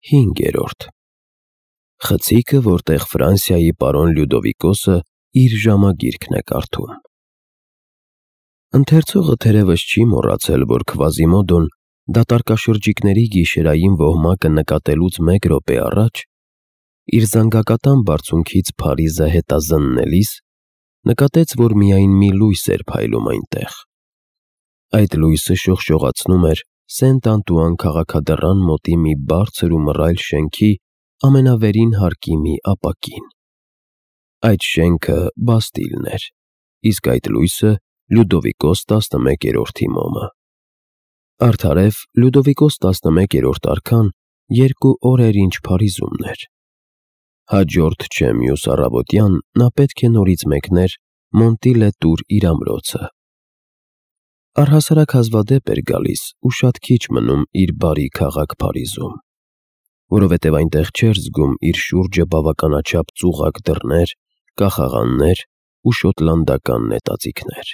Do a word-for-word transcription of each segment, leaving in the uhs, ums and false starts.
Հինգերորդ Խցիկը, որտեղ Ֆրանսիայի պարոն Լյուդովիկոսը իր ժամագիրքն է կարդում։ Ընթերցողը թերևս չի մոռացել, որ Քվազիմոդոն դատարկաշրջիկների գիշերային ոհմակը նկատելուց մեկ րոպե առաջ իր զանգակատան բարձունքից Փարիզը հետազննելիս նկատեց, որ միայն մի լույս էր փայլում այնտեղ։ Այդ լույսը շողշողացնում էր Սենտ-Անտուան քաղաքադռան մոտի մի բարձր ու մռայլ շենքի ամենավերին հարկի մի ապակին։ Այդ շենքը Բաստիլն էր, իսկ այդ լույսը Լյուդովիկոս տասնմեկերորդի մոմը։ Արդարև Լյուդովիկոս տասնմեկերորդ արքան երկու օր էր ինչ Փարիզումն էր։ Հաջորդ չէ մյուս առավոտյան նա պետք է նորից մեկներ Մոնտի-լե-Տուր իր ամրոցը։ Առհասարակ հազվադեպ էր գալիս ու շատ քիչ մնում իր բարի քաղաք Փարիզում, որովհետև այնտեղ չէր զգում իր շուրջը բավականաչափ ծուղակ դռներ, կախաղաններ ու շոտլանդական նետաձիգներ։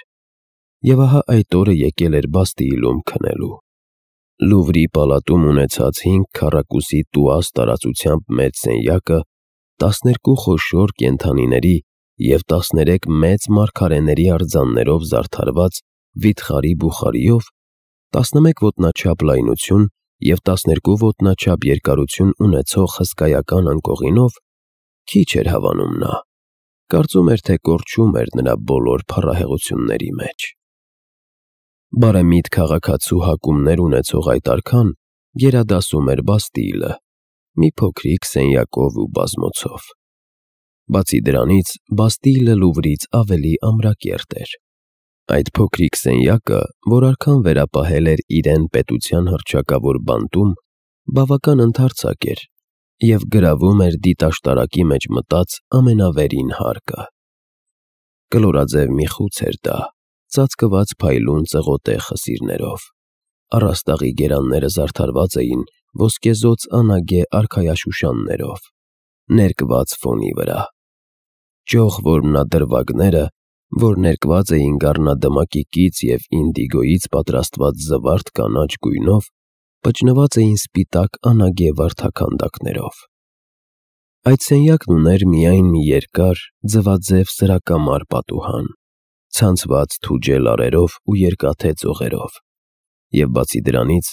Եվ ահա այդ օրը եկել էր Բաստիլում քնելու։ Լուվրի պալատում ունեցած հինգ քառակուսի տուաս տարածությամբ մեծ սենյակը տասներկու խոշոր կենդանիների և տասներեք մեծ մարգարեների արձաններով զարդարված վիթխարի բուխարիով, տասնմեկ ոտնաչափ լայնություն և տասներկու ոտնաչափ երկարություն ունեցող հսկայական անկողինով քիչ էր հավանում նա, կարծում էր, թե կորչում էր նրա բոլոր փառահեղությունների մեջ։ Բարեմիտ քաղաքացու հակումներ ունեցող այդ արքան գերադասում էր Բաստիլը, մի փոքրիկ սենյակով ու բազմոցով։ Բացի դրանից, Բաստիլը Լուվրից ավելի ամրակերտ էր։ Այդ փոքրիկ սենյակը, որ արքան վերապահել էր իրեն պետության հռչակավոր բանտում, բավական ընդարձակ էր և գրավում էր դիտաշտարակի մեջ մտած ամենավերին հարկը։ Կլորաձև մի խուց էր դա, ծածկված փայլուն ծղոտե խսիրներով։ Առաստաղի գերանները զարդարված էին ոսկեզօծ անագե արքայաշուշաններով, ներկված ֆոնի վրա։ Ճոխ որմնադրվագները, որ ներկված էին գառնադմակի կից և ինդիգոյից պատրաստված զվարթ կանաչ գույնով, պճնված էին սպիտակ անագե վարդաքանդակներով։ Այդ սենյակն ուներ միայն մի երկար, ձվաձև սրակամար պատուհան, ցանցված թուջե լարերով ու երկաթե ծողերով, և բացի դրանից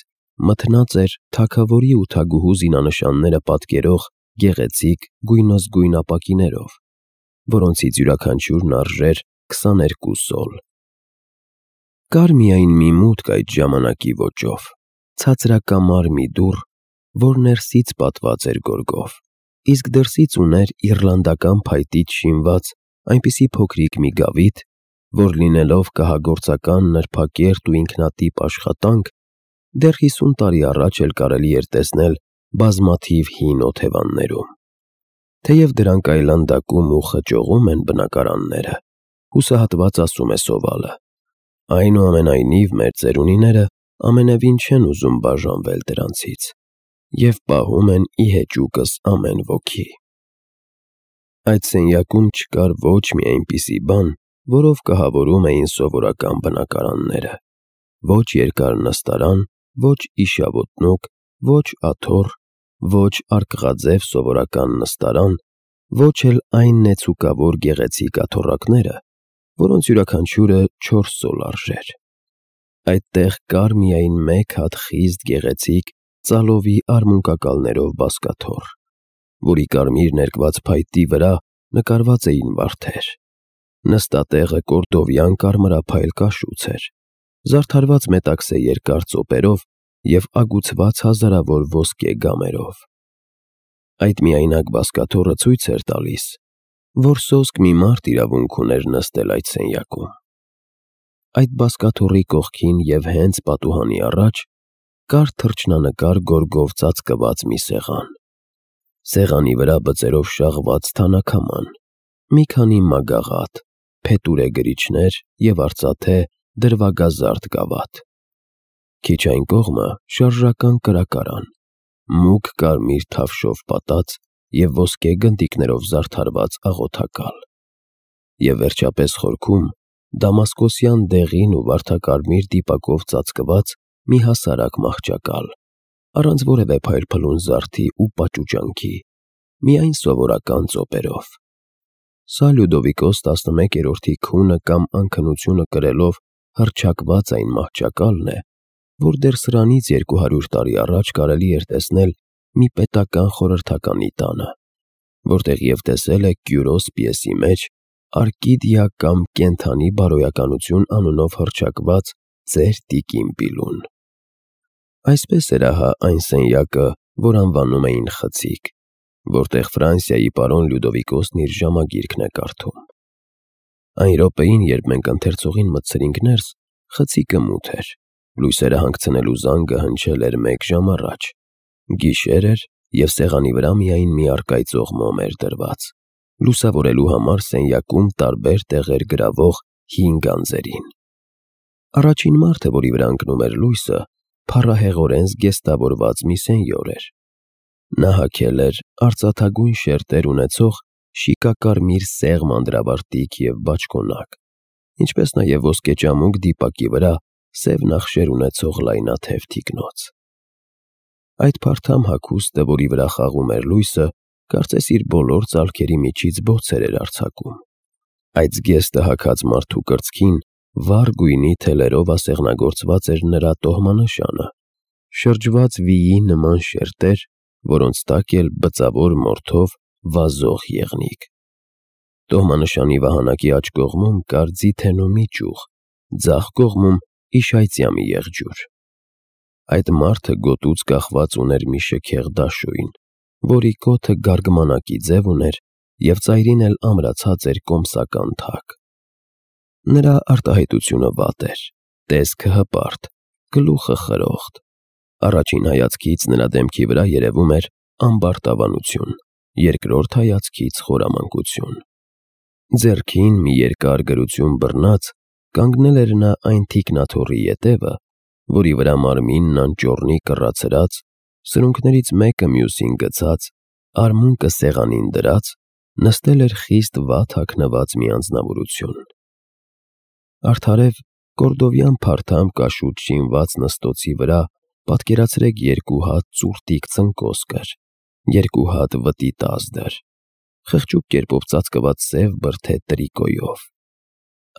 մթնած էր թագավորի ու թագուհու զինանշանները պատկերող գեղեցիկ գույնզգույն ապակիներով, որոնցից յուրաքանչյուրն արժեր քսաներկու սոլ։ Կար միայն մի մուտք այդ ժամանակի ոճով, ցածրակամար մի դուռ, որ ներսից պատված էր գորգով, իսկ դրսից ուներ իռլանդական փայտից շինված այնպիսի փոքրիկ մի գավիթ, որ լինելով կահագործական նրբակերտ ու ինքնատիպ աշխատանք, դեռ հիսուն տարի առաջ էլ կարելի էր տեսնել բազմաթիվ հին օթևաններում։ Թեև դրանք այլանդակում ու խճողում են բնակարանները, հուսահատված ասում է սովալը, այնուամենայնիվ մեր ծերունիները ամենևին չեն ուզում բաժանվել դրանցից և պահում են ի հեճուկս ամեն ոգի։ Այդ սենյակում չկար ոչ մի այնպիսի բան, որով կահավորում էին սովորական բնակարանները, ոչ երկար նստարան, ոչ իշավոտնուկ, ոչ աթոռ, ոչ արկղաձև սովորական նստարան, ոչ էլ այն նեցուկավոր գեղեցիկ աթոռակները, որոնց յուրաքանչյուրը չորս սոլ արժեր։ Այդտեղ կար միայն մեկ հատ խիստ գեղեցիկ ծալովի արմունկակալներով բազկաթոռ, որի կարմիր ներկված փայտի վրա նկարված էին վարդեր։ Նստատեղը կորդովյան կարմրափայլ կաշուց էր, զարդարված մետաքսե երկար ծոպերով և ագուցված հազարավոր ոսկե գամերով։ Այդ միայնակ բազկաթոռը ցույց էր տալիս, որ սոսկ մի մարդ իրավունք ուներ նստել այդ սենյակում։ Այդ բազկաթոռի կողքին և հենց պատուհանի առաջ կար թռչնանկար գորգով ծածկված մի սեղան։ Սեղանի վրա բծերով շաղված թանաքաման, մի քանի մագաղաթ, փետուրե գրիչներ և արծաթե դրվագազարդ գավաթ։ Քիչ այն կողմը շարժական կրակարան, մուգ կարմիր թավշով պատած և ոսկե գնդիկներով զարդարված աղոթակալ, և վերջապես խորքում դամասկոսյան դեղին ու վարդակարմիր դիպակով ծածկված մի հասարակ մահճակալ, առանց որևէ փայլփլուն զարդի ու պաճուճանքի, միայն սովորական ծոպերով։ Սա Լյուդովիկոս տասնմեկերորդի քունը կամ անքնությունը կրելով հռչակված այն մահճակալն է, որ դեռ սրանից երկու հարյուր տարի առաջ կարելի էր տեսնել մի պետական խորհրդականի տանը, որտեղ և տեսել է Կյուրոս պիեսի մեջ Արկիդիա կամ կենդանի բարոյականություն անունով հռչակված ծեր տիկին Պիլուն։ Այսպես էր ահա այն սենյակը, որ անվանում էին խցիկ, որտեղ Ֆրանսիայի պարոն Լյուդովիկոսն իր ժամագիրքն է կարդում։ Այն րոպեին, երբ մենք ընթերցողին մտցրինք ներս, խցիկը մութ էր, լույսերը հանգցնելու զանգը հնչել էր մեկ ժամ առաջ, գիշեր էր և սեղանի վրա միայն մի առկայծող մոմ էր դրված, լուսավորելու համար սենյակում տարբեր տեղեր գրավող հին գանձերին։ Առաջին մարդը, որի վրա ընկնում էր լույսը, փառահեղորեն զգեստավորված մի սենյոր էր։ Նա հագել էր արծաթագույն շերտեր ունեցող շիկակարմիր սեղմ անդրավարտիք և բաճկոնակ, ինչպես նաև ոսկեճամուկ դիպակի վրա սև նախշեր ունեցող լայնաթև թիկնոց։ Այդ փարթամ հագուստը, որի վրա խաղում էր լույսը, կարծես իր բոլոր ծալքերի միջից բոցեր էր արձակում։ Այդ զգեստը հագած մարդու կրծքին վառ գույնի թելերով ասեղնագործված էր նրա տոհմանշանը, շրջված վիի նման շերտեր, որոնց տակ էլ բծավոր մորթով վազող եղնիկ։ Տոհմանշանի վահանակի աջ կողմում կար ձիթենու մի ճյուղ, ձախ կողմում իշայծյա մի եղջյուր։ Այդ մարդը գոտուց կախված ուներ մի շքեղ դաշույն, որի կոթը գարգմանակի ձև ուներ և ծայրին էլ ամրացած էր կոմսական թակ։ Նրա արտահայտությունը վատ էր, տեսքը հպարտ, գլուխը խրոխտ։ Առաջին հայացքից նրա դեմքի վրա երևում էր ամբարտավանություն, երկրորդ հայացքից խորամանկություն։ Ձեռքին մի երկար գրություն բռնած կանգնել էր նա այն թիկնաթոռի ետևը, որի վրա մարմինն անճոռնի կռացրած, սրունքներից մեկը մյուսին գցած, արմունկը սեղանին դրած, նստել էր խիստ վատ հագնված մի անձնավորություն։ Արդարև կորդովյան փարթամ կաշուտ շինված նստոցի վրա պատկերացրեք երկու հատ ծուրտիկ ծնկոս կր, երկու հատ վտի տազդր, խղճուկ կերպով ծածկված սև բրդե տրիկոյով,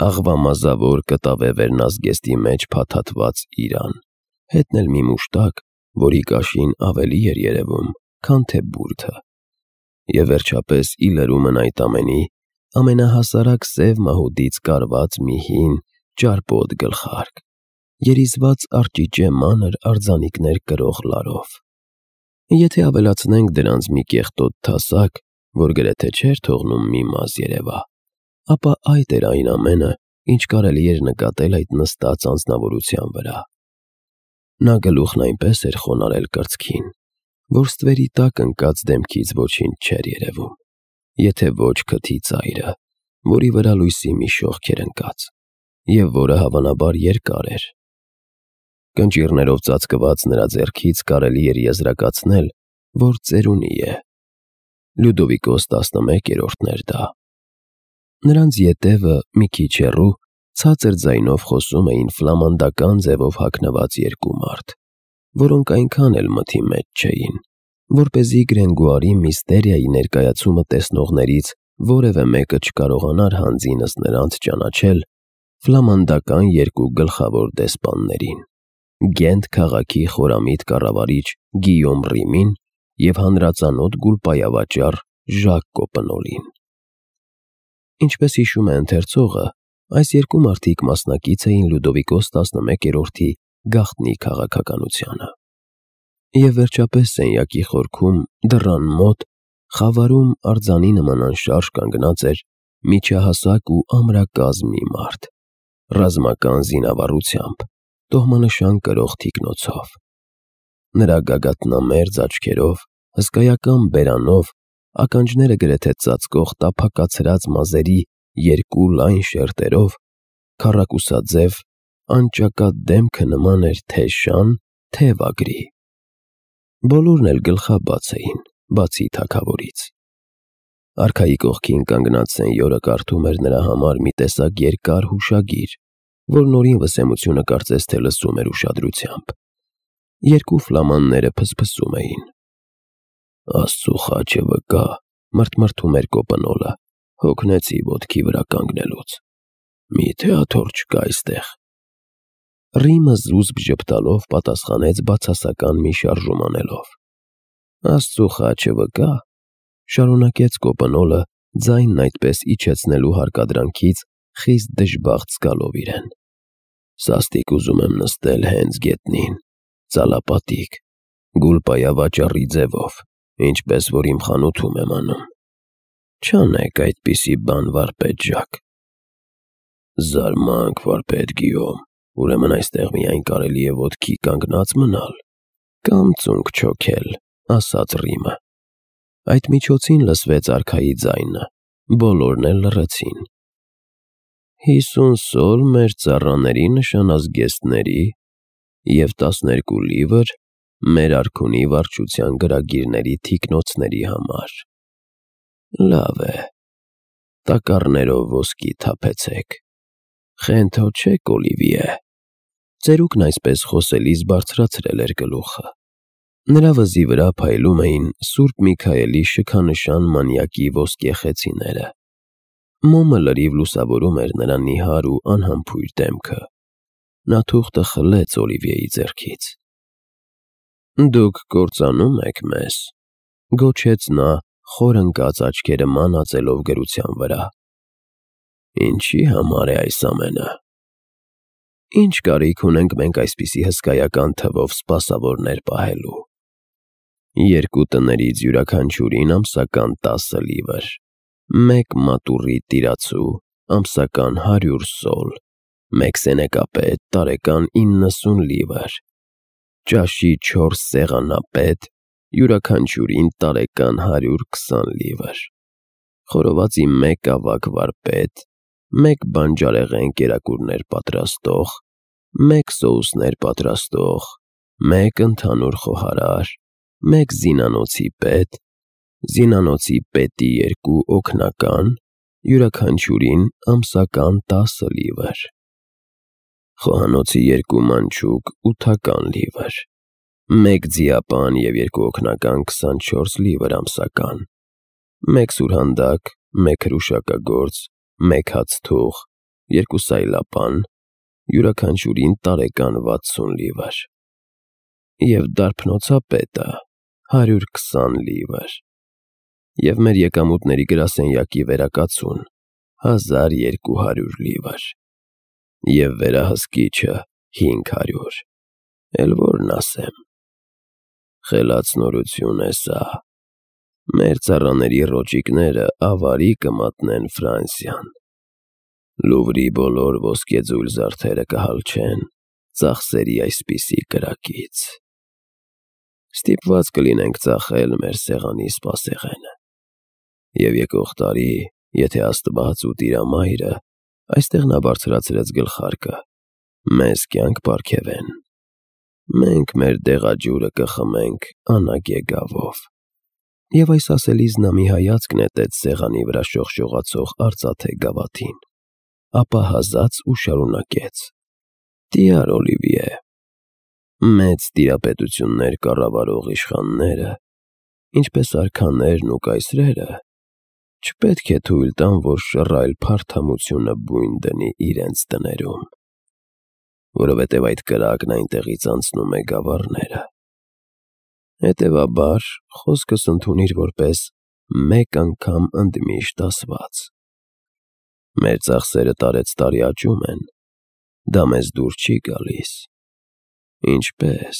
աղվամազավոր կտավե վերնազգեստի մեջ փաթաթված իրան, հետն էլ մի մուշտակ, որի կաշին ավելի էր երևում, քան թե բուրդը, և վերջապես ի լրումն այդ ամենի ամենահասարակ սև մահուդից կարված մի հին ճարպոտ գլխարկ, երիզված արճիճե մանր արձանիկներ կրող լարով։ Եթե ավելացնենք դրանց մի կեղտոտ թասակ, որ գրեթե չէր թողնում մի մազ երևա, ապա այդ էր այն ամենը, ինչ կարելի էր նկատել այդ նստած անձնավորության վրա։ Նա գլուխն այնպես էր խոնարհել կրծքին, որ ստվերի տակ ընկած դեմքից ոչինչ չէր երևում, եթե ոչ քթի ծայրը, որի վրա լույսի մի շողք էր ընկած, և որը հավանաբար երկար էր։ Կնճիռներով ծածկված նրա ձեռքից կարելի էր եզրակացնել, որ ծերունի է։ Լյուդովիկոս տասնմեկերորդն էր դա։ Նրանց ետևը մի քիչ հեռու ցածր ձայնով խոսում էին ֆլամանդական ձևով հագնված երկու մարդ, որոնք այնքան էլ մթի մեջ չէին, որպեսզի Գրենգուարի միստերիայի ներկայացումը տեսնողներից որևէ մեկը չկարողանար հանձինս նրանց ճանաչել ֆլամանդական երկու գլխավոր դեսպաններին՝ Գենտ քաղաքի խորամիտ կառավարիչ Գիյոմ Ռիմին և հանրածանոթ գուլպայավաճառ Ժակ Կոպնոլին։ Ինչպես հիշում է ընթերցողը, այս երկու մարդիկ մասնակից էին Լյուդովիկոս տասնմեկերորդի գաղտնի քաղաքականությանը։ Եվ վերջապես սենյակի խորքում, դռան մոտ, խավարում արձանի նման անշարժ կանգնած էր միջահասակ ու ամրակազմ մի մարդ, ռազմական զինավառությամբ, տոհմանշան կրող թիկնոցով։ Նրա գագաթնամերձ աչքերով, հսկայական բերանով, ականջները գրեթե ծածկող տափակացրած մազերի երկու լայն շերտերով, քառակուսաձև, անճակատ դեմքը նման էր թե՛ շան, թե՛ վագրի։ Բոլորն էլ գլխաբաց էին, բացի թագավորից։ Արքայի կողքին կանգնած սենյորը կարդում էր նրա համար մի տեսակ երկար հուշագիր, որ Նորին Վսեմությունը կարծես թե լսում էր ուշադրությամբ։ Երկու ֆլամանները փսփսում էին։ Աստծու խաչը վկա, մրթմրթում էր Կոպնոլը, հոգնեցի ոտքի վրա կանգնելուց։ Մի՞թե աթոռ չկա այստեղ։ Ռիմը զուսպ ժպտալով պատասխանեց բացասական մի շարժում անելով։ Աստծու խաչը վկա, շարունակեց Կոպնոլը, ձայնն այդպես իջեցնելու հարկադրանքից խիստ դժբախտ զգալով իրեն։ Սաստիկ ուզում եմ նստել հենց գետնին, ծալապատիկ, գուլպայավաճառի ձևով, ինչպես որ իմ խանութում եմ անում։ Չանեք այդպիսի բան, վարպետ Ժակ։ Զարմանք, վարպետ Գիյոմ, ուրեմն այստեղ միայն կարելի է ոտքի կանգնած մնալ, կամ ծունկ չոքել, ասաց Ռիմը։ Այդ միջոցին լսվեց արքայի ձայնը, բոլորն էլ լռեցին։ Հիսուն սոլ մեր ծառաների նշանազգեստների և տասներկու լիվր մեր արքունի վարչության գրագիրների թիկնոցների համար։ Լավ է, տակառներով ոսկի թափեցեք։ Խենթոչեք, Օլիվիե։ Ծերուկն այսպես խոսելիս բարձրացրել էր գլուխը։ Նրա վզի վրա փայլում էին Սուրբ Միքայելի շքանշան մանյակի ոսկե խեցիները։ Մոմը լրիվ լուսավորում էր նրա նիհար ու անհամբույր դեմքը։ Նա թուղթը խլեց Օլիվիեի ձեռքից։ Դուք կործանում եք մեզ, գոչեց նա, խոր ընկած աչքերը մանածելով գրության վրա։ Ինչի համար է այս ամենը։ Ինչ կարիք ունենք մենք այսպիսի հսկայական թվով սպասավորներ պահելու։ Երկու տներից յուրաքանչյուրին ամսական տասը լիվր, մեկ մատուռի տիրացու ամսական հարյուր սոլ, մեկ սենեկապետ տարեկան իննսուն լիվր, ճաշի չորս սեղանապետ յուրաքանչյուրին տարեկան հարյուր քսան լիվր, խորովածի մեկ ավագ վարպետ, մեկ բանջարեղեն կերակուրներ պատրաստող, մեկ սոուսներ պատրաստող, մեկ ընդհանուր խոհարար, մեկ զինանոցի պետ, զինանոցի պետի երկու օգնական, յուրաքանչյուրին ամսական տասը լիվր, խոհանոցի երկու մանչուկ ութական լիվր, մեկ ձիապան և երկու օգնական քսանչորս լիվր ամսական, մեկ սուրհանդակ, մեկ հրուշակագործ, մեկ հացթուղ, երկու սայլապան, յուրաքանչյուրին տարեկան վաթսուն լիվր, և դարբնոցապետը հարյուր քսան լիվր, և մեր եկամուտների գրասենյակի վերակացուն հազար երկու հարյուր լիվր, և վերահսկիչը հինգ հարյուր, էլ որն ասեմ։ Խելացնորություն է սա։ Մեր ծառաների ռոճիկները ավարի կմատնեն Ֆրանսիան։ Լուվրի բոլոր ոսկեձույլ զարդերը կհալչեն ծախսերի այսպիսի կրակից։ Ստիպված կլինենք ծախել մեր սեղանի սպասեղենը։ Եվ եկող տարի, եթե Աստված ու Տիրամայրը, այստեղ նա բարձրացրեց գլխարկը, մեզ կյանք պարգևեն, մենք մեր դեղաջուրը կխմենք անագե գավով։ Եվ այս ասելիս նա մի հայացք նետեց սեղանի վրա շողշողացող արծաթե գավաթին, ապա հազաց ու շարունակեց. Տյար Օլիվիե, մեծ տիրապետություններ կառավարող իշխանները, ինչպես արքաներն ու կայսրերը, չպետք է թույլ տան, որ շռայլ փարթամությունը բույն դնի իրենց տներում, որովհետև այդ կրակն այնտեղից անցնում է գավառները։ Հետևաբար, խոսքս ընդունիր որպես մեկ անգամ ընդմիշտ ասված։ Մեր ծախսերը տարեցտարի աճում են, դա մեզ դուր չի գալիս։ Ինչպե՞ս,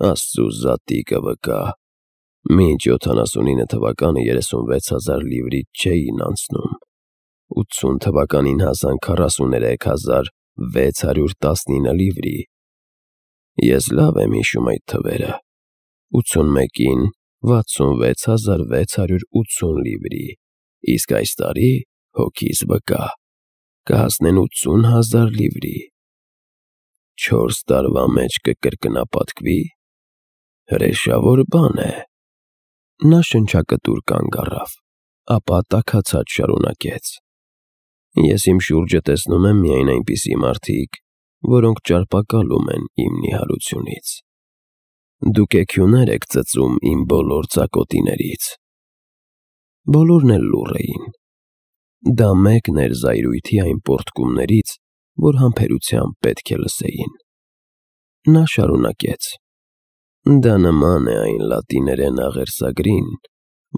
Աստծու զատիկը վկա, մինչ յոթանասունինը թվականը երեսունվեց հազար լիվրից չէին անցնում, ութսուն թվականին հասան քառասուներեք հազար վեց հարյուր տասնինը լիվրի։ Ես լավ եմ հիշում այդ թվերը, ութսունմեկին վաթսունվեց հազար վեց հարյուր ութսուն լիվրի, իսկ այս տարի, հոգիս վկա, կհասնեն ութսուն հազար լիվրի։ Չորս տարվա մեջ կկրկնապատկվի, հրեշավոր բան է։ Նա շնչակտուր կանգ առավ, ապա տաքացած շարունակեց. Ես իմ շուրջը տեսնում եմ միայն այնպիսի մարդիկ, որոնք ճարպակալում են իմ նիհարությունից։ Դուք էքյուներ եք ծծում իմ բոլոր ծակոտիներից։ Բոլորն էլ լուռ էին։ Դա մեկն էր զայրույթի այն պոռթկումներից, որ համբերությամբ պետք է լսեին։ Նա շարունակեց. Դա նման է այն լատիներեն աղերսագրին,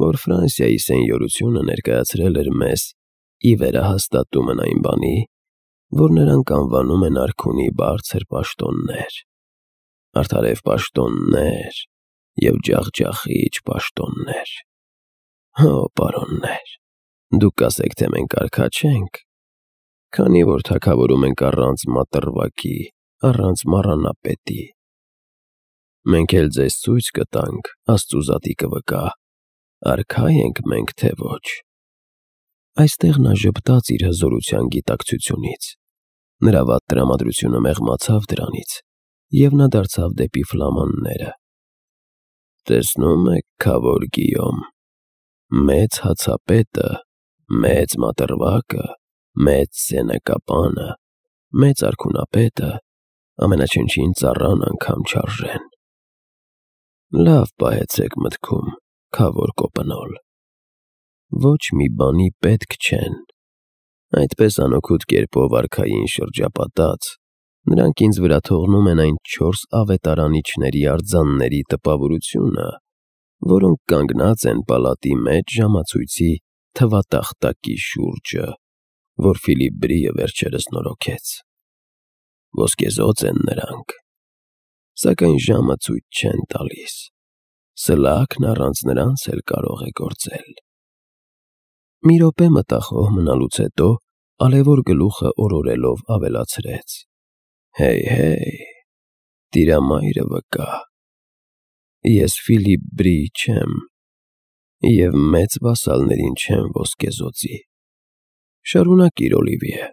որ Ֆրանսիայի սենյորությունը ներկայացրել էր մեզ ի վերահաստատումն այն բանի, որ նրանք անվանում են արքունի բարձր պաշտոններ, արդարև պաշտոններ և ջախջախիչ պաշտոններ։ Հո, պարոններ, դուք կասեք, թե մենք արքա չենք, քանի որ թագավորում ենք առանց մատռվակի, առանց մառանապետի։ Մենք էլ ձեզ ցույց կտանք, Աստծու զատիկը վկա, արքա ենք մենք, թե ոչ։ Այստեղ նա ժպտաց իր հզորության գիտակցությունից։ Նրա վատ տրամադրությունը մեղմացավ դրանից, և նա դարձավ դեպի ֆլամանները։ Տեսնում եք, քավոր Գիյոմ, մեծ հացապետը, մեծ մատռվակը, մեծ սենեկապանը, մեծ արքունապետը ամենաչնչին ծառան անգամ չարժեն։ Լավ պահեցեք մտքում, քավոր կոպնոլ, ոչ մի բանի պետք չեն։ Այդպես անօգուտ կերպով արքային շրջապատած, նրանք ինձ վրա թողնում են այն չորս ավետարանիչների արձանների տպավորությունը, որոնք կանգնած են պալատի մեջ ժամացույցի թվատախտակի շուրջը, որ Ֆիլիպ Բրիը վերջերս նորոգեց։ Ոսկեզօծ են նրանք, սակայն ժամը ցույց չեն տալիս, սլաքն առանց նրանց էլ կարող է գործել։ Մի րոպե մտախոհ մնալուց հետո ալևոր գլուխը օրորելով ավելացրեց. Հեյ, տիրամայրը վկա, ես Ֆիլիպ Բրի չեմ, և մեծ վասալներին չեմ ոսկեզօծի։ Շարունակիր, Օլիվիե։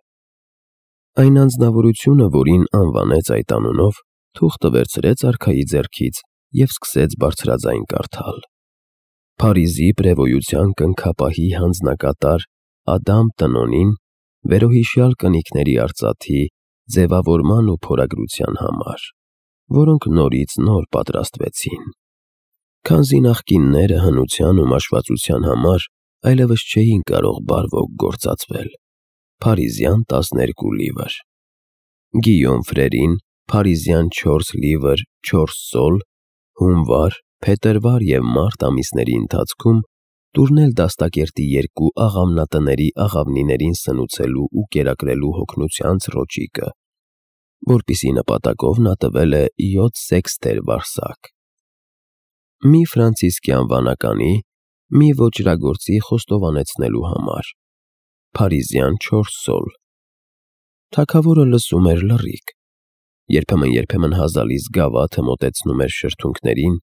Այն անձնավորությունը, որին անվանեց այդ անունով, թուղթը վերցրեց արքայի ձեռքից և սկսեց բարձրաձայն կարդալ. Փարիզի պրևոյության կնքապահի հանձնակատար Ադամ Տնոնին վերոհիշյալ կնիկների արծաթի ձևավորման ու փորագրության համար, որոնք նորից նոր պատրաստվեցին, քանզի նախկինները հնության ու մաշվածության համար այլևս չէին կարող բարվոք գործածվել, փարիզյան տասներկու լիվր, Գիյոմ Ֆրերին փարիզյան չորս լիվր չորս սոլ, հունվար, փետրվար և մարտ ամիսների ընթացքում տուրնել դաստակերտի երկու աղավնատների աղավնիներին սնուցելու ու կերակրելու հոգնության ցռոճիկը, որպիսի նպատակով նա տվել է յոթ սեքստեր վարսակ, մի ֆրանցիսկյան վանականի, մի ոճրագործի խոստովանեցնելու համար, փարիզյան չորս սոլ։ Թագավորը լսում էր լռիկ, երբեմն-երբեմն հազալից գավաթը մոտեցնում էր շրթունքներին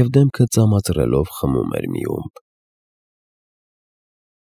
և դեմքը ծամածռելով խմում էր մի ումպ։